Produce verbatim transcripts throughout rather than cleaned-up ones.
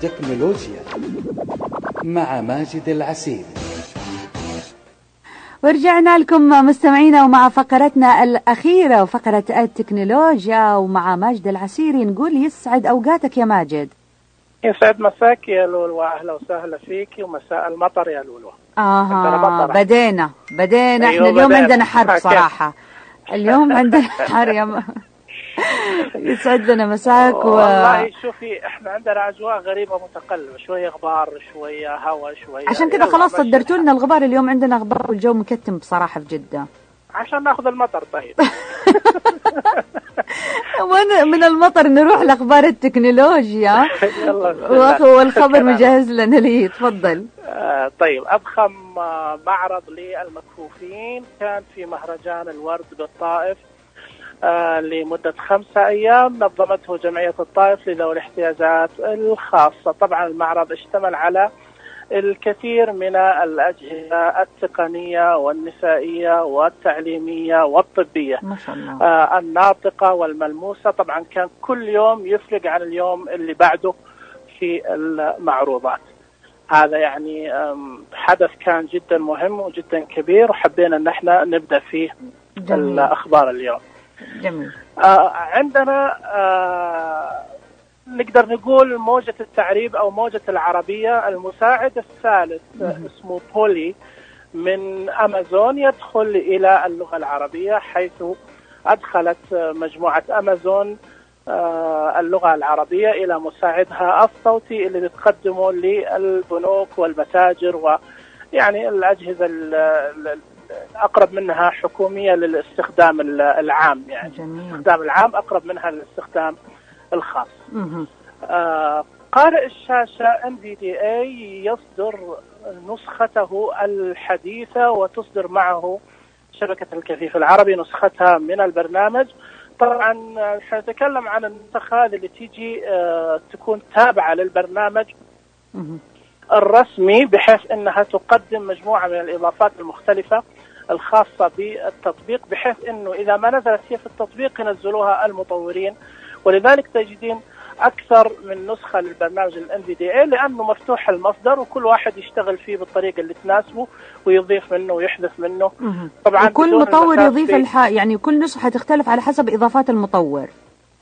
التكنولوجيا مع ماجد العسيري. ورجعنا لكم مستمعينا ومع فقرتنا الأخيرة وفقرة التكنولوجيا ومع ماجد العسيري. نقول يسعد أوقاتك يا ماجد. يسعد مساك يا لولو، أهلا وسهلا فيك، ومساء المطر يا لولو. آه بدينا بدينا أيوة احنا اليوم بدينا. عندنا حرب صراحة. اليوم عندنا حرب. يسعد لنا مساك. و... والله شوفي احنا عندنا أجواء غريبة متقلبة، شوية غبار شوية هواء شوية، عشان كذا خلاص صدرتوا لنا الغبار. اليوم عندنا غبار والجو مكتم بصراحة في جدة. عشان ناخذ المطر. طيب من المطر نروح لأخبار التكنولوجيا. والخبر مجهز لنا ليه، تفضل. آه طيب أضخم معرض للمكفوفين كان في مهرجان الورد بالطائف آه لمدة خمسة أيام، نظمته جمعية الطائف لذوي الاحتياجات الخاصة. طبعا المعرض اشتمل على الكثير من الأجهزة التقنية والنسائية والتعليمية والطبية ما شاء الله. آه الناطقة والملموسة. طبعا كان كل يوم يفرق عن اليوم اللي بعده في المعروضات. هذا يعني حدث كان جدا مهم وجدا كبير، وحبينا ان احنا نبدأ فيه جميل. الأخبار اليوم جميل. آه عندنا آه نقدر نقول موجة التعريب أو موجة العربية. المساعد الثالث اسمه بولي من أمازون يدخل إلى اللغة العربية، حيث أدخلت مجموعة أمازون اللغة العربية إلى مساعدها الصوتي اللي بتقدمه للبنوك والمتاجر ويعني الأجهزة أقرب منها حكومية للاستخدام العام، يعني الاستخدام العام أقرب منها للاستخدام الخاص. آه قارئ الشاشة إن في دي إيه يصدر نسخته الحديثة وتصدر معه شبكة الكفيف العربي نسختها من البرنامج. طبعا نتكلم عن النسخة اللي تيجي آه تكون تابعة للبرنامج الرسمي، بحيث أنها تقدم مجموعة من الإضافات المختلفة الخاصة بالتطبيق، بحيث أنه إذا ما نزلت هي في التطبيق ينزلوها المطورين. ولذلك تجدين أكثر من نسخة للبرنامج ال إن في دي إيه لأنه مفتوح المصدر وكل واحد يشتغل فيه بالطريقة اللي تناسبه ويضيف منه ويحذف منه. طبعا وكل مطور يضيف الح... يعني كل نسخة تختلف على حسب إضافات المطور.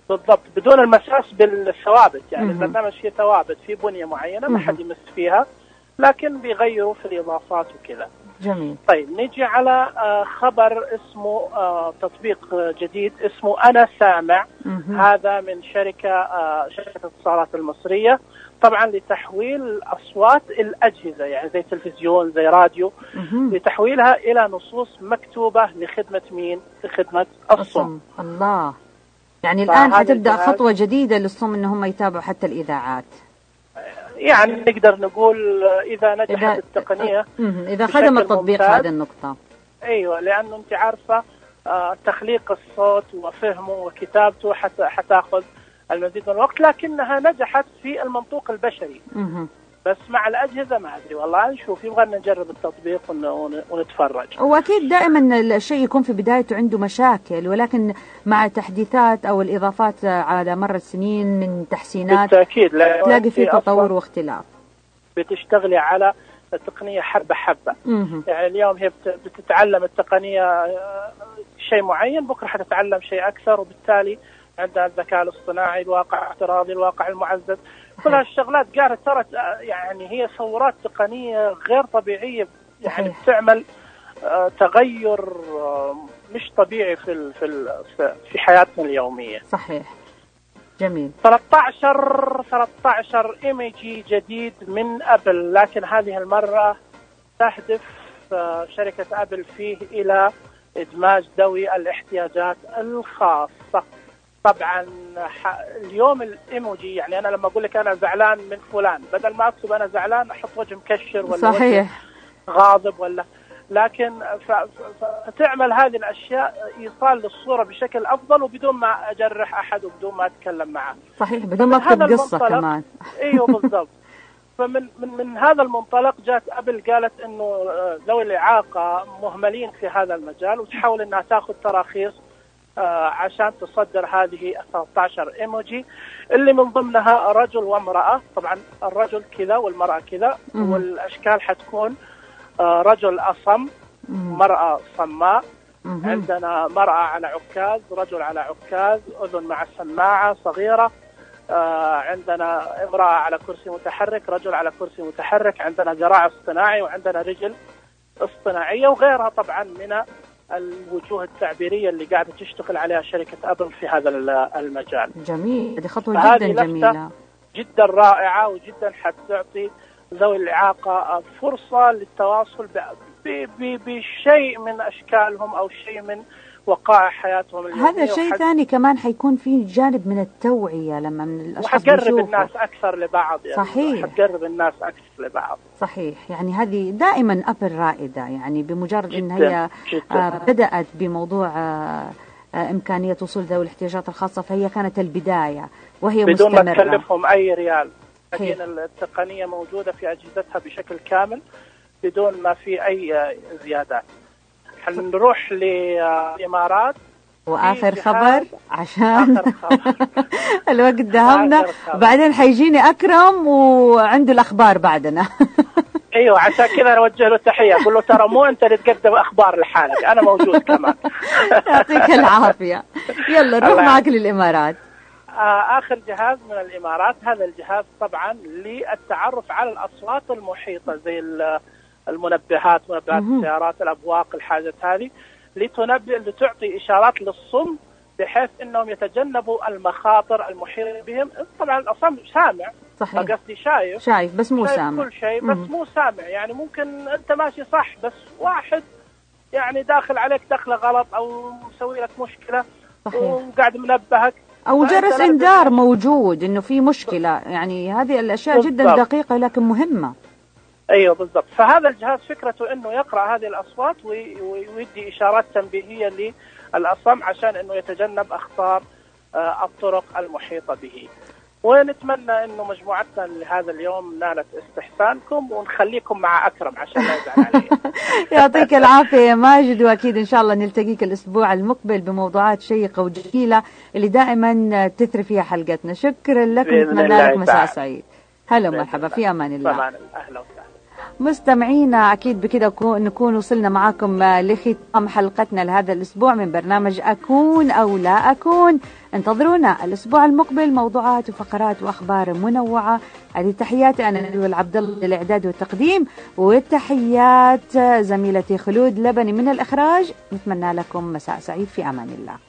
بالضبط، بدون المساس بالثوابت. يعني مه. البرنامج فيه ثوابت، فيه بنية معينة ما حد يمس فيها، لكن بيغيروا في الإضافات وكذا. جميل. طيب نيجي على خبر اسمه تطبيق جديد اسمه أنا سامع. مه. هذا من شركة شركة الاتصالات المصرية، طبعا لتحويل أصوات الأجهزة يعني زي تلفزيون زي راديو، مه. لتحويلها إلى نصوص مكتوبة لخدمة مين؟ لخدمة الصم. الله، يعني الآن حتبدأ خطوة جديدة للصم إنهم يتابعوا حتى الإذاعات. يعني نقدر نقول إذا نجحت إذا التقنية إذا خدم التطبيق هذه النقطة. أيوة، لأنه أنت عارفة آه تخليق الصوت وفهمه وكتابته حتى حتاخذ المزيد من الوقت، لكنها نجحت في المنطوق البشري. مه. بس مع الأجهزة ما أدري والله، نشوف، يبغى نجرب التطبيق ونتفرج. وأكيد دائما الشيء يكون في بدايته عنده مشاكل، ولكن مع تحديثات أو الإضافات على مر السنين من تحسينات بالتأكيد تلاقي فيه تطور واختلاف. بتشتغلي على التقنية حبة حبة. مه. يعني اليوم هي بتتعلم التقنية شيء معين، بكرة حتتعلم شيء أكثر، وبالتالي عندها الذكاء الاصطناعي، الواقع الافتراضي، الواقع المعزز، كل هالشغلات قاعدة ترى يعني هي ثورات تقنية غير طبيعية، يعني بتعمل تغير مش طبيعي في في في حياتنا اليومية. صحيح. جميل. ثلاثة عشر ثلاثة عشر ايميجي جديد من أبل، لكن هذه المرة تهدف شركة أبل فيه إلى إدماج ذوي الاحتياجات الخاصة. طبعا اليوم الايموجي، يعني انا لما اقول لك انا زعلان من فلان، بدل ما اكتب انا زعلان احط وجه مكشر ولا صحيح غاضب ولا، لكن فتعمل هذه الاشياء ايصال للصوره بشكل افضل وبدون ما اجرح احد وبدون ما اتكلم معه. صحيح، بدون ما اكتب قصه كمان. ايوه بالضبط. فمن من من هذا المنطلق جات ابل قالت انه ذوي الاعاقه مهملين في هذا المجال، وتحاول انها تاخذ تراخيص عشان تصدر هذه ثلاثة عشر ايموجي اللي من ضمنها رجل وامرأة. طبعا الرجل كذا والمرأة كذا، والأشكال حتكون رجل أصم، مرأة صماء، عندنا مرأة على عكاز، رجل على عكاز، أذن مع سماعة صغيرة، عندنا امرأة على كرسي متحرك، رجل على كرسي متحرك، عندنا ذراع اصطناعي، وعندنا رجل اصطناعية، وغيرها طبعا من الوجوه التعبيرية اللي قاعدة تشتغل عليها شركة أبل في هذا المجال. جميل، هذه خطوة جدا جميلة جدا رائعة، وجدا حتعطي ذوي الإعاقة فرصة للتواصل بشيء من أشكالهم أو شيء من وقائع حياتهم اليومية. هذا شيء وحد... ثاني كمان حيكون فيه جانب من التوعية لما من الأشخاص وحقرب الناس أكثر لبعض، يعني صحيح، حقرب الناس أكثر لبعض. صحيح، يعني هذه دائما أبل رائدة، يعني بمجرد إن هي آه بدأت بموضوع آه آه إمكانية وصول ذوي الاحتياجات الخاصة، فهي كانت البداية وهي بدون مستمرة بدون ما تكلفهم أي ريال. لكن التقنية موجودة في أجهزتها بشكل كامل بدون ما في أي زيادات. حنروح للإمارات وآخر خبر عشان الوقت دهمنا، بعدين حيجيني أكرم وعنده الأخبار بعدنا. أيوة، عشان كذا نوجه له تحية، أقول له ترى مو أنت اللي تقدم أخبار لحالك، أنا موجود كمان. يعطيك العافية. يلا نروح معك للإمارات. آخر جهاز من الإمارات، هذا الجهاز طبعا للتعرف على الأصوات المحيطة زي المنبهات، منبهات السيارات، الأبواق، الحاجات هذه، لتنبه لتعطي إشارات للصم بحيث أنهم يتجنبوا المخاطر المحيطة بهم. طبعا الأصم سامع، صحيح، قصدي شايف شايف بس مو شايف سامع كل شيء بس مم. مو سامع. يعني ممكن أنت ماشي صح بس واحد يعني داخل عليك دخلة غلط أو مسوي لك مشكلة، صحيح، وقاعد منبهك، أو جرس إنذار موجود إنه في مشكلة. يعني هذه الأشياء بالضبط. جدا دقيقة لكن مهمة. أيوة بالضبط. فهذا الجهاز فكرته إنه يقرأ هذه الأصوات ويدي إشارات تنبيهية للأصم عشان إنه يتجنب أخطار الطرق المحيطة به. ونتمنى إنه مجموعتنا لهذا اليوم نالت استحسانكم، ونخليكم مع أكرم عشان لا يزعل عليه. يعطيك العافية يا ماجد، وأكيد إن شاء الله نلتقيك الأسبوع المقبل بموضوعات شيقة وجميلة اللي دائما تثري فيها حلقتنا. شكرا لك، ونتمنى لك مساء سعيد. هلا ومرحبا، في أمان الله. أمان الله. أهلا وسهلا مستمعينا، أكيد بكده نكون وصلنا معكم لختام حلقتنا لهذا الأسبوع من برنامج أكون أو لا أكون. انتظرونا الأسبوع المقبل، موضوعات وفقرات وأخبار منوعة. هذه تحياتي أنا نبيل عبد الله للإعداد والتقديم، وتحيات زميلتي خلود لبني من الإخراج. نتمنى لكم مساء سعيد، في أمان الله.